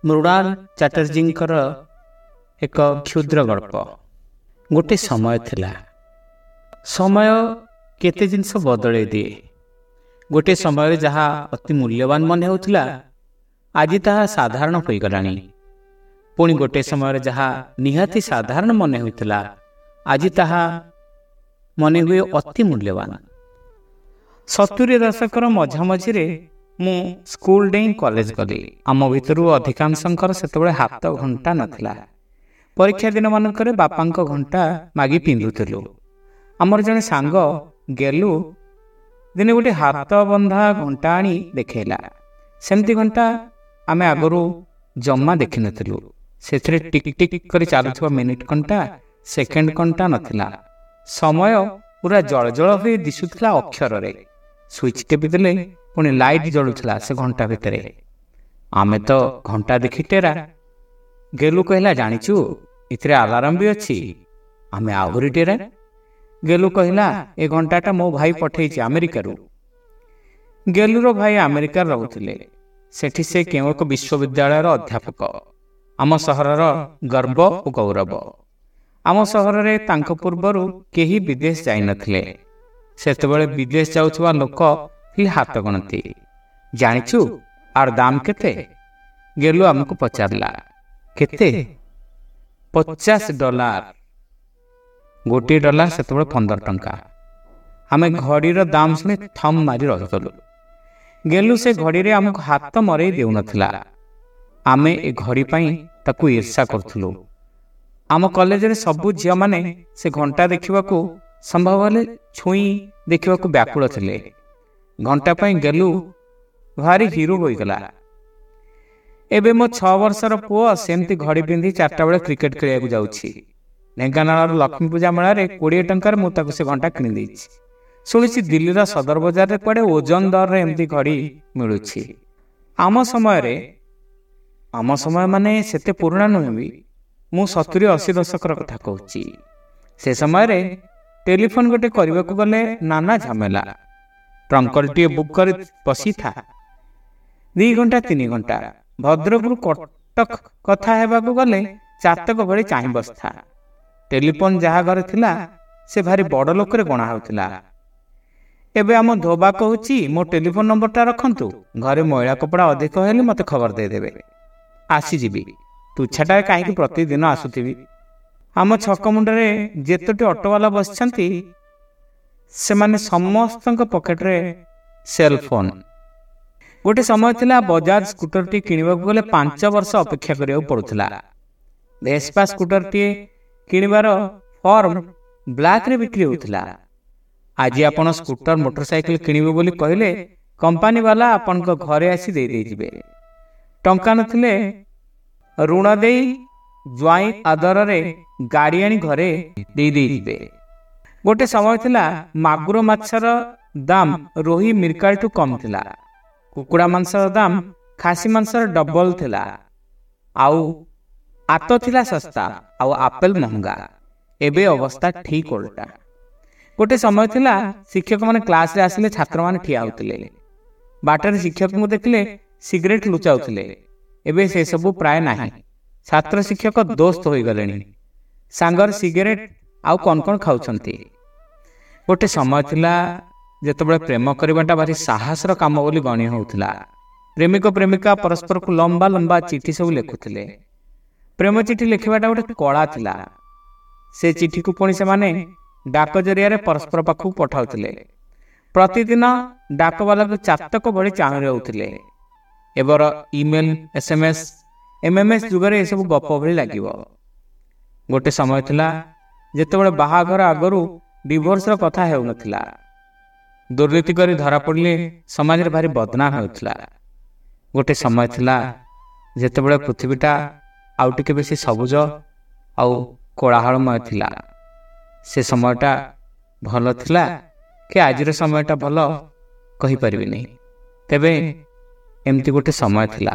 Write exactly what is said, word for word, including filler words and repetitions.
ମୃଣାଲ ଚାଟାର୍ଜୀଙ୍କର ଏକ କ୍ଷୁଦ୍ର ଗଳ୍ପ। ଗୋଟେ ସମୟ ଥିଲା, ସମୟ କେତେ ଜିନିଷ ବଦଳେଇ ଦିଏ। ଗୋଟିଏ ସମୟରେ ଯାହା ଅତି ମୂଲ୍ୟବାନ ମନେ ହେଉଥିଲା, ଆଜି ତାହା ସାଧାରଣ ହୋଇଗଲାଣି। ପୁଣି ଗୋଟିଏ ସମୟରେ ଯାହା ନିହାତି ସାଧାରଣ ମନେ ହେଉଥିଲା, ଆଜି ତାହା ମନେ ହୁଏ ଅତି ମୂଲ୍ୟବାନ। ସତୁରି ଦଶକର ମଝାମଝିରେ ମୁଁ ସ୍କୁଲ ଡେଇଁ କଲେଜ ଗଲି। ଆମ ଭିତରୁ ଅଧିକାଂଶଙ୍କର ସେତେବେଳେ ହାତ ଘଣ୍ଟା ନଥିଲା। ପରୀକ୍ଷା ଦିନମାନଙ୍କରେ ବାପାଙ୍କ ଘଣ୍ଟା ମାଗି ପିନ୍ଧୁଥିଲୁ। ଆମର ଜଣେ ସାଙ୍ଗ ଗେଲୁ ଦିନେ ଗୋଟେ ହାତ ବନ୍ଧା ଘଣ୍ଟା ଆଣି ଦେଖେଇଲା। ସେମିତି ଘଣ୍ଟା ଆମେ ଆଗରୁ ଜମା ଦେଖିନଥିଲୁ। ସେଥିରେ ଟିକ୍ ଟିକ୍ କରି ଚାଲୁଥିବା ମିନିଟ୍ କଣ୍ଟା, ସେକେଣ୍ଡ କଣ୍ଟା ନଥିଲା। ସମୟ ପୁରା ଜଳଜଳ ହୋଇ ଦିଶୁଥିଲା ଅକ୍ଷରରେ। ସୁଇଚ୍ ଟିପିଦେଲେ ପୁଣି ଲାଇଟ୍ ଜଳୁଥିଲା ସେ ଘଣ୍ଟା ଭିତରେ। ଆମେ ତ ଘଣ୍ଟା ଦେଖି ଟେରା। ଗେଲୁ କହିଲା, ଜାଣିଛୁ ଏଥିରେ ଆଲାରାମ ବି ଅଛି। ଆମେ ଆହୁରି ଟେରା। ଗେଲୁ କହିଲା, ଏ ଘଣ୍ଟାଟା ମୋ ଭାଇ ପଠେଇଛି ଆମେରିକାରୁ। ଗେଲୁର ଭାଇ ଆମେରିକାରେ ରହୁଥିଲେ। ସେଠି ସେ କେଉଁ ଏକ ବିଶ୍ୱବିଦ୍ୟାଳୟର ଅଧ୍ୟାପକ। ଆମ ସହରର ଗର୍ବ ଓ ଗୌରବ। ଆମ ସହରରେ ତାଙ୍କ ପୂର୍ବରୁ କେହି ବିଦେଶ ଯାଇନଥିଲେ। ସେତେବେଳେ ବିଦେଶ ଯାଉଥିବା ଲୋକ ଥିଲେ ହାତ ଗଣତି। ଜାଣିଛୁ ଆର ଦାମ କେତେ? ଗେଲୁ ଆମକୁ ପଚାରିଲା। କେତେ? ପଚାଶ ଡଲାର। ଗୋଟିଏ ଡଲାର ସେତେବେଳେ ପନ୍ଦର ଟଙ୍କା। ଆମେ ଘଡ଼ିର ଦାମ ଶୁଣି ଥମ୍ ମାରି ରହିଗଲୁ। ଗେଲୁ ସେ ଘଡ଼ିରେ ଆମକୁ ହାତ ମରେଇ ଦେଉନଥିଲା। ଆମେ ଏ ଘଡ଼ି ପାଇଁ ତାକୁ ଈର୍ଷା କରୁଥିଲୁ। ଆମ କଲେଜରେ ସବୁ ଝିଅମାନେ ସେ ଘଣ୍ଟା ଦେଖିବାକୁ, ସମ୍ଭବ ହେଲେ ଛୁଇଁ ଦେଖିବାକୁ ବ୍ୟାକୁଳ ଥିଲେ। ଘଣ୍ଟା ପାଇଁ ଗେଲୁ ଭାରି ହିରୋ ହୋଇଗଲା। ଏବେ ମୋ ଛଅ ବର୍ଷର ପୁଅ ସେମିତି ଘଡ଼ି ପିନ୍ଧି ଚାରିଟା ବେଳେ କ୍ରିକେଟ ଖେଳିବାକୁ ଯାଉଛି। ଢେଙ୍କାନାଳର ଲକ୍ଷ୍ମୀ ପୂଜା ମେଳାରେ କୋଡ଼ିଏ ଟଙ୍କାରେ ମୁଁ ତାକୁ ସେ ଘଣ୍ଟା କିଣିଦେଇଛି। ଶୁଣିଛି ଦିଲ୍ଲୀର ସଦର ବଜାରରେ କୁଆଡ଼େ ଓଜନ ଦରରେ ଏମିତି ଘଡ଼ି ମିଳୁଛି। ଆମ ସମୟରେ, ଆମ ସମୟ ମାନେ ସେତେ ପୁରୁଣା ନୁହେଁ ବି, ମୁଁ ସତୁରି ଅଶୀ ଦଶକର କଥା କହୁଛି। ସେ ସମୟରେ ଟେଲିଫୋନ୍ ଗୋଟେ କରିବାକୁ ଗଲେ ନାନା ଝାମେଲା। ଟ୍ରଙ୍କଲଟିଏ ବୁକ୍ କରି ବସିଥା ଦୁଇ ଘଣ୍ଟା ତିନି ଘଣ୍ଟା। ଭଦ୍ରକରୁ କଟକ କଥା ହେବାକୁ ଗଲେ ଚାତକ ଭଳି ଚାହିଁ ବସିଥା। ଟେଲିଫୋନ୍ ଯାହା ଘରେ ଥିଲା ସେ ଭାରି ବଡ଼ ଲୋକରେ ଗଣା ହେଉଥିଲା। ଏବେ ଆମ ଧୋବା କହୁଛି, ମୋ ଟେଲିଫୋନ୍ ନମ୍ବରଟା ରଖନ୍ତୁ, ଘରେ ମଇଳା କପଡ଼ା ଅଧିକ ହେଲେ ମୋତେ ଖବର ଦେଇଦେବେ, ଆସିଯିବି। ତୁଚ୍ଛାଟାରେ କାହିଁକି ପ୍ରତିଦିନ ଆସୁଥିବି। ଆମ ଛକ ମୁଣ୍ଡରେ ଯେତୋଟି ଅଟୋବାଲା ବସିଛନ୍ତି, ସେମାନେ ସମସ୍ତଙ୍କ ପକେଟରେ ସେଲ୍ ଫୋନ୍। ଗୋଟେ ସମୟ ଥିଲା ବଜାଜ ସ୍କୁଟରଟି କିଣିବାକୁ ଗଲେ ପାଞ୍ଚ ବର୍ଷ ଅପେକ୍ଷା କରିବାକୁ ପଡ଼ୁଥିଲା। ଭେସ୍ପା ସ୍କୁଟରଟିଏ କିଣିବାର ଫର୍ମ ବ୍ଲାକ୍ରେ ବିକ୍ରି ହେଉଥିଲା। ଆଜି ଆପଣ ସ୍କୁଟର ମୋଟରସାଇକେଲ କିଣିବେ ବୋଲି କହିଲେ କମ୍ପାନୀବାଲା ଆପଣଙ୍କ ଘରେ ଆସି ଦେଇ ଦେଇଯିବେ। ଟଙ୍କା ନଥିଲେ ଋଣ ଦେଇ ଜ୍ୱାଇଁ ଆଦରରେ ଗାଡ଼ି ଆଣି ଘରେ ଦେଇ ଦେଇଯିବେ। ଗୋଟେ ସମୟ ଥିଲା ମାଗୁର ମାଛର ଦାମ ରୋହି ମିରକାଲଠୁ କମ୍ ଥିଲା। କୁକୁଡ଼ା ମାଂସର ଦାମ ଖାସି ମାଂସର ଡବଲ ଥିଲା। ଆଉ ଆତ ଥିଲା ଶସ୍ତା, ଆଉ ଆପେଲ ମହଙ୍ଗା। ଏବେ ଅବସ୍ଥା ଠିକ୍ ଓଲଟା। ଗୋଟେ ସମୟ ଥିଲା ଶିକ୍ଷକମାନେ କ୍ଲାସରେ ଆସିଲେ ଛାତ୍ରମାନେ ଠିଆ ହେଉଥିଲେ। ବାଟରେ ଶିକ୍ଷକଙ୍କୁ ଦେଖିଲେ ସିଗାରେଟ୍ ଲୁଚାଉଥିଲେ। ଏବେ ସେସବୁ ପ୍ରାୟ ନାହିଁ। ଛାତ୍ର ଶିକ୍ଷକ ଦୋସ୍ତ ହୋଇଗଲେଣି। ସାଙ୍ଗରେ ସିଗାରେଟ୍ ଆଉ କ'ଣ କ'ଣ ଖାଉଛନ୍ତି। ଗୋଟେ ସମୟ ଥିଲା ଯେତେବେଳେ ପ୍ରେମ କରିବାଟା ଭାରି ସାହସର କାମ ବୋଲି ଗଣି ହେଉଥିଲା। ପ୍ରେମିକ ପ୍ରେମିକା ପରସ୍ପରକୁ ଲମ୍ବା ଲମ୍ବା ଚିଠି ସବୁ ଲେଖୁଥିଲେ। ପ୍ରେମ ଚିଠି ଲେଖିବାଟା ଗୋଟେ କଳା ଥିଲା। ସେ ଚିଠିକୁ ପୁଣି ସେମାନେ ଡାକ ଜରିଆରେ ପରସ୍ପର ପାଖକୁ ପଠାଉଥିଲେ। ପ୍ରତିଦିନ ଡାକବାଲାକୁ ଚାତକ ଭଳି ଚାହିଁ ରହୁଥିଲେ। ଏବର email, S M S, M M S ଯୁଗରେ ଏସବୁ ଗପ ଭଳି ଲାଗିବ। ଗୋଟେ ସମୟ ଥିଲା ଯେତେବେଳେ ବାହାଘର ଆଗରୁ ଡିଭୋର୍ସର କଥା ହେଉନଥିଲା। ଦୁର୍ନୀତି କରି ଧରା ପଡ଼ିଲେ ସମାଜରେ ଭାରି ବଦନାମ ହେଉଥିଲା। ଗୋଟେ ସମୟ ଥିଲା ଯେତେବେଳେ ପୃଥିବୀଟା ଆଉ ଟିକେ ବେଶୀ ସବୁଜ ଆଉ କୋଳାହଳମୟ ଥିଲା। ସେ ସମୟଟା ଭଲ ଥିଲା କି ଆଜିର ସମୟଟା ଭଲ କହିପାରିବିନି। ତେବେ ଏମିତି ଗୋଟେ ସମୟ ଥିଲା।